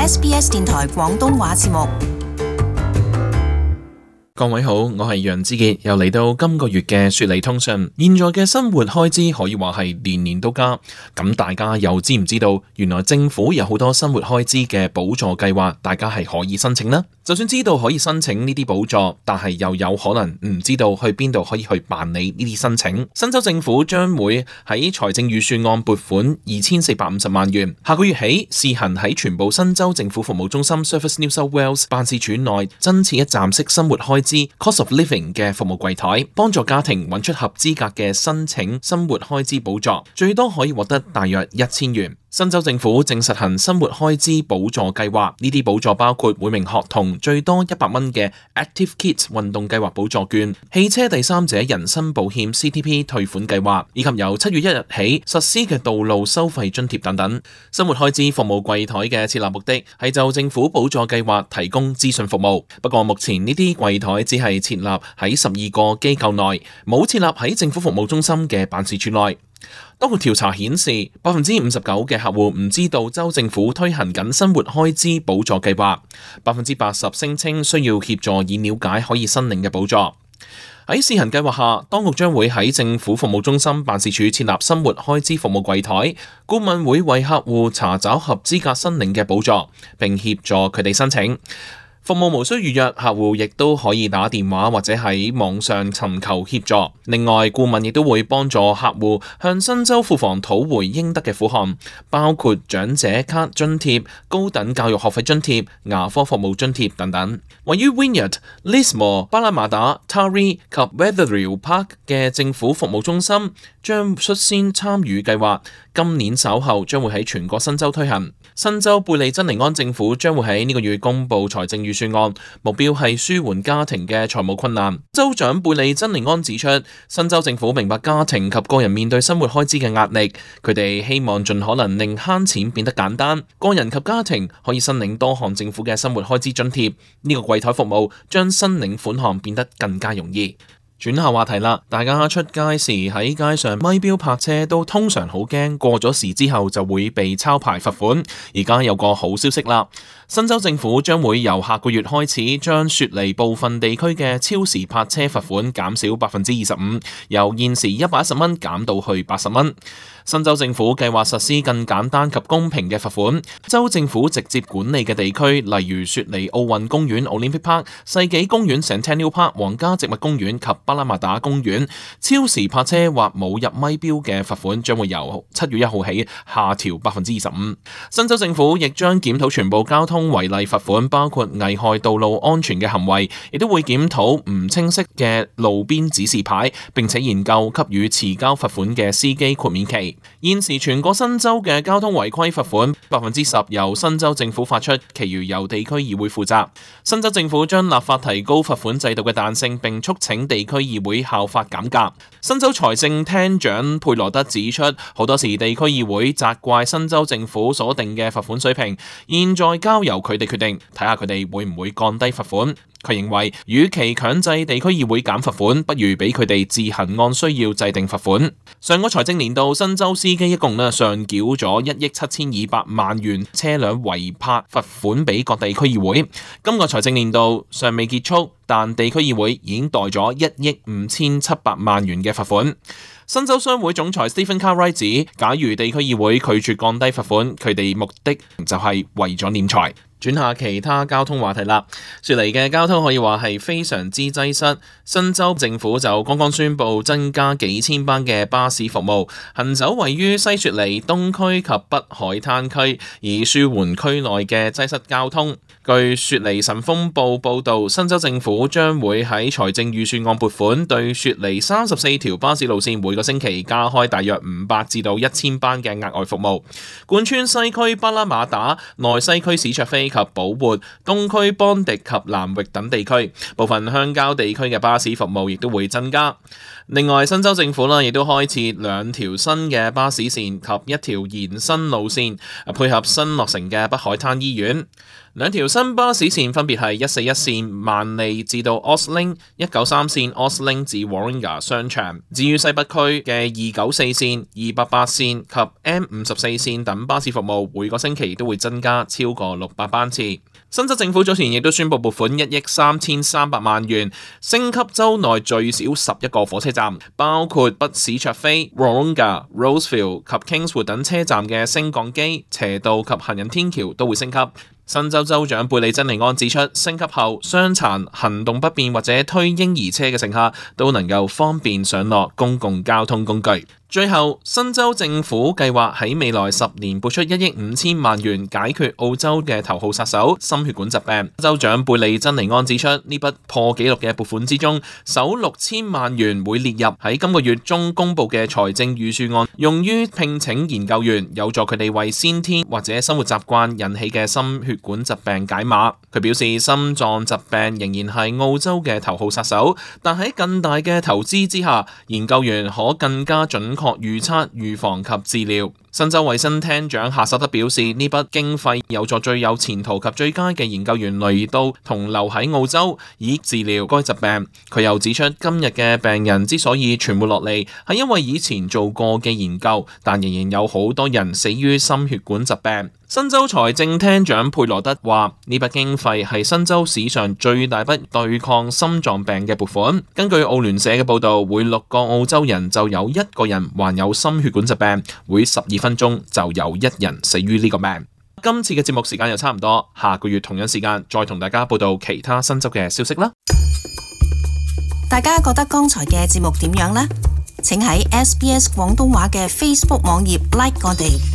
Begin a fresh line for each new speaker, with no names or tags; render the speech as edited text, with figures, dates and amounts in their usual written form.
SBS 電台廣東話節目。
各位好，我係楊志傑，又嚟到今個月嘅雪梨通訊。現在嘅生活開支可以話係年年都加，咁大家又知唔知道，原來政府有好多生活開支嘅補助計劃，大家係可以申請呢？就算知道可以申請呢啲補助，但係又有可能唔知道去邊度可以去辦理呢啲申請。新州政府將會喺財政預算案撥款2450萬元，下個月起試行喺全部新州政府服務中心 Service New South Wales 辦事處內增設一站式生活開支 Cost of Living 嘅服務櫃台，幫助家庭揾出合資格嘅申請生活開支補助，最多可以獲得大約1000元。新州政府正實行生活開支補助計劃，呢啲補助包括每名學童最多100蚊嘅 Active Kids 運動計劃補助券、汽車第三者人身保險 CTP 退款計劃，以及由7月1日起實施嘅道路收費津貼等等。生活開支服務櫃台嘅設立目的係就政府補助計劃提供資訊服務，不過目前呢啲櫃台只係設立喺12個機構內，冇設立喺政府服務中心嘅辦事處內。當局調查顯示，59%嘅客戶唔知道州政府推行緊生活開支補助計劃，80%聲稱需要協助以了解可以申領嘅補助。喺試行計劃下，當局將會喺政府服務中心辦事處設立生活開支服務櫃台，顧問會為客戶查找合資格申領嘅補助，並協助佢哋申請。服務無需預約，客戶亦都可以打電話或者喺網上尋求協助。另外，顧問亦都會幫助客戶向新州庫房討回應得嘅款項，包括長者卡津貼、高等教育學費津貼、牙科服務津貼等等。位於 Wynyard、Lismore、巴拉馬達、Taree 及 Wetherill Park 嘅政府服務中心將率先參與計劃，今年稍後將會喺全國新州推行。新州貝利珍尼安政府將會喺呢個月公布財政預算案，目標係舒緩家庭嘅財務困難。州長貝利珍尼安指出，新州政府明白家庭及個人面對生活開支嘅壓力，佢哋希望盡可能令慳錢變得簡單，個人及家庭可以申領多項政府嘅生活開支津貼。呢個櫃台服務將申領款項變得更加容易。轉下話題啦，大家出街時喺街上咪標泊車都通常好驚，過咗時之後就會被抄牌罰款。而家有個好消息啦，新州政府將會由下個月開始將雪梨部分地區嘅超時泊車罰款減少25%，由現時110蚊減到去80蚊。新州政府計劃實施更簡單及公平嘅罰款。州政府直接管理嘅地區，例如雪梨奧運公園 Olympic Park、世紀公園 Centennial Park、皇家植物公園及巴拉馬達公園，超時泊車或冇入咪標嘅罰款將會由7月1號起下調25%。新州政府亦將檢討全部交通違例罰款，包括危害道路安全嘅行為，亦都會檢討唔清晰嘅路邊指示牌，並且研究給予遲交罰款嘅司機豁免期。現時全國新州嘅交通違規罰款10%由新州政府發出，其餘由地區議會負責。新州政府將立法提高罰款制度嘅彈性，並促請地區議會效法減價。新州財政廳長佩羅德指出，好多時地區議會責怪新州政府所定嘅罰款水平，現在交由佢哋決定，睇下佢哋會唔會降低罰款。佢認為，與其強制地區議會減罰款，不如俾佢哋自行按需要制定罰款。上個財政年度，新州司機一共上繳咗1億7200萬元車輛違泊罰款俾各地區議會。今個財政年度尚未結束，但地區議會已經代咗1億5700萬元嘅罰款。新州商會總裁 Stephen Cartwright 指，假如地區議會拒絕降低罰款，佢哋目的就係為咗斂財。轉下其他交通話題啦。雪梨嘅交通可以話係非常之擠塞。新州政府就剛剛宣布增加幾千班嘅巴士服務，行走位於西雪梨、東區及北海灘區，以舒緩區內嘅擠塞交通。據雪梨晨鋒報報導，新州政府將會喺財政預算案撥款，對雪梨34條巴士路線每個星期加開大約500至到1000班嘅額外服務，貫穿西區巴拉馬達、內西區史卓菲及保活、東區邦迪及南域等地區，部分鄉郊地區嘅巴士服務亦都會增加。另外，新州政府亦都開設2條新嘅巴士線及1條延伸路線，配合新落成嘅北海灘醫院。2條新巴士線分別係141線曼利至到 Osling、193線 Osling 至 Warringah 商場。至於西北區嘅294線、288線及 M54線等巴士服務，每個星期都會增加超過600班次。新州政府早前亦都宣布撥款1億3300萬元，升級州內最少11個火車站，包括北史卓菲、Warringah、Rosefield 及 Kingswood 等車站嘅升降機、斜道及行人天橋都會升級。新州州長貝利珍尼安指出，升級後傷殘、行動不便或者推嬰兒車嘅乘客都能夠方便上落公共交通工具。最後，新州政府計劃喺未來10年撥出1億5000萬元解決澳洲嘅頭號殺手心血管疾病。州長貝利珍尼安指出，呢筆破紀錄嘅撥款之中，首6000萬元會列入喺今個月中公布嘅財政預算案，用於聘請研究員，有助佢哋為先天或者生活習慣引起嘅心血管疾病解碼。佢表示，心臟疾病仍然係澳洲嘅頭號殺手，但喺更大嘅投資之下，研究員可更加準確預測、預防及治療。新州衛生廳長夏薩德表示，呢筆經費有助最有前途及最佳嘅研究員嚟到同留喺澳洲，以治療該疾病。佢又指出，今日嘅病人之所以存活落嚟，係因為以前做過嘅研究，但仍然有好多人死於心血管疾病。新州財政廳長佩羅德話，呢筆經費係新州史上最大筆對抗心臟病嘅撥款。根據澳聯社嘅報導，每6個澳洲人就有1個人患有心血管疾病，每12分鐘就有1人死於呢個病。今次嘅節目時間又差唔多，下個月同樣時間再同大家報道其他新州嘅消息啦。
大家覺得剛才嘅節目點樣呢？請喺 SBS 廣東話嘅 Facebook 網頁 like 我哋。